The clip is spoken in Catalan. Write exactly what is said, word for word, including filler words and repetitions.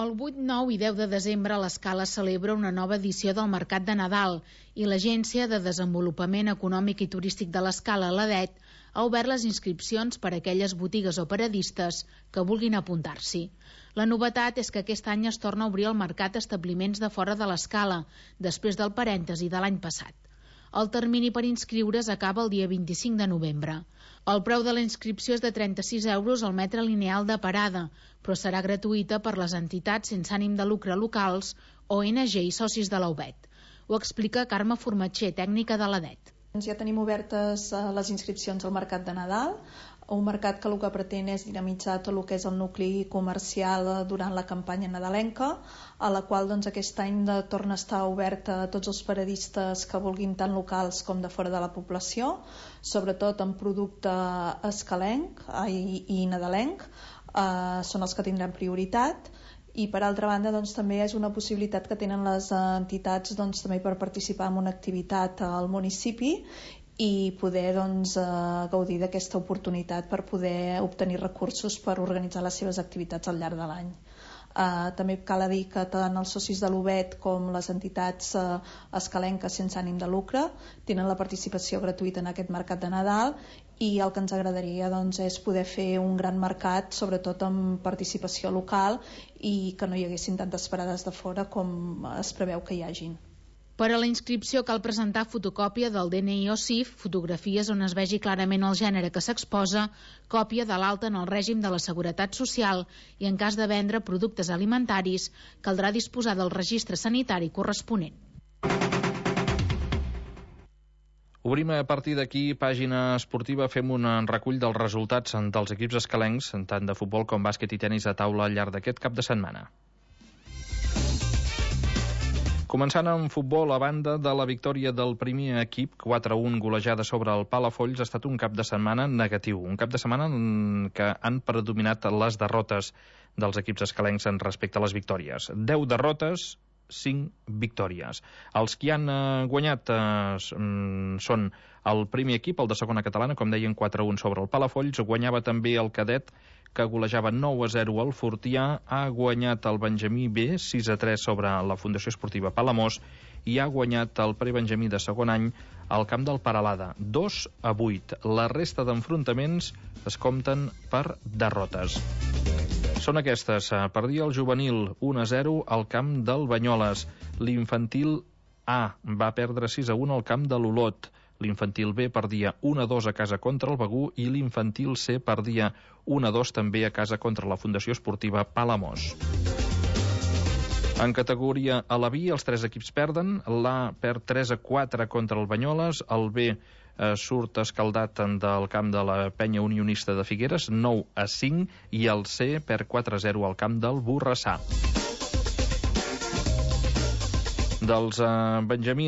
El vuit, nou i deu de desembre l'Escala celebra una nova edició del Mercat de Nadal i l'Agència de Desenvolupament Econòmic i Turístic de l'Escala, l'A D E T, ha obert les inscripcions per a aquelles botigues o paradistes que vulguin apuntar-s'hi. La novetat és que aquest any es torna a obrir el mercat a establiments de fora de l'Escala, després del parèntesi de l'any passat. El termini per inscriure's acaba el dia vint-i-cinc de novembre. El preu de la inscripció és de trenta-sis euros al metre lineal de parada, però serà gratuïta per les entitats sense ànim de lucre locals, O N G i socis de l'A U B E T. Ho explica Carme Formatxer, tècnica de l'A D E T. Ja tenim obertes les inscripcions al Mercat de Nadal, un mercat que el que pretén és dinamitzar tot el que és el nucli comercial durant la campanya nadalenca, a la qual doncs, aquest any de, torna a estar oberta a tots els paradistes que vulguin, tant locals com de fora de la població, sobretot en producte escalenc i, i nadalenc, eh, són els que tindran prioritat. I per altra banda doncs, també és una possibilitat que tenen les entitats doncs, també per participar en una activitat al municipi i poder doncs, eh, gaudir d'aquesta oportunitat per poder obtenir recursos per organitzar les seves activitats al llarg de l'any. Eh, també cal dir que tant els socis de l'U B E T com les entitats eh, escalenques sense ànim de lucre tenen la participació gratuïta en aquest mercat de Nadal i el que ens agradaria doncs, és poder fer un gran mercat, sobretot amb participació local i que no hi haguessin tantes parades de fora com es preveu que hi hagin. Per a la inscripció cal presentar fotocòpia del D N I o C I F, fotografies on es vegi clarament el gènere que s'exposa, còpia de l'alta en el règim de la Seguretat Social i, en cas de vendre productes alimentaris, caldrà disposar del registre sanitari corresponent. Obrim a partir d'aquí pàgina esportiva, fem un recull dels resultats dels equips escalencs, tant de futbol com bàsquet i tenis a taula al llarg d'aquest cap de setmana. Començant amb futbol, a banda de la victòria del primer equip, quatre a un golejada sobre el Palafolls, ha estat un cap de setmana negatiu. Un cap de setmana en què han predominat les derrotes dels equips escalencs en respecte a les victòries. deu derrotes, cinc victòries. Els que han eh, guanyat eh, són el primer equip, el de segona catalana, com deien, quatre a un sobre el Palafolls. Guanyava també el cadet, que golejava nou a zero al Fortià, ha guanyat el Benjamí B sis a tres sobre la Fundació Esportiva Palamós i ha guanyat el prebenjamí de segon any al camp del Peralada, dos a vuit. La resta d'enfrontaments es compten per derrotes. Són aquestes: perdia el juvenil un a zero al camp del Banyoles, l'infantil A va perdre sis a un al camp de l'Olot, l'infantil B perdia un a dos a casa contra el Begú i l'infantil C perdia un a dos també a casa contra la Fundació Esportiva Palamós. En categoria a la B, els tres equips perden. L'A perd tres a quatre contra el Banyoles, el B eh, surt escaldat del camp de la Penya Unionista de Figueres, nou a cinc, i el C perd quatre a zero al camp del Borrassà. Dels eh, benjamins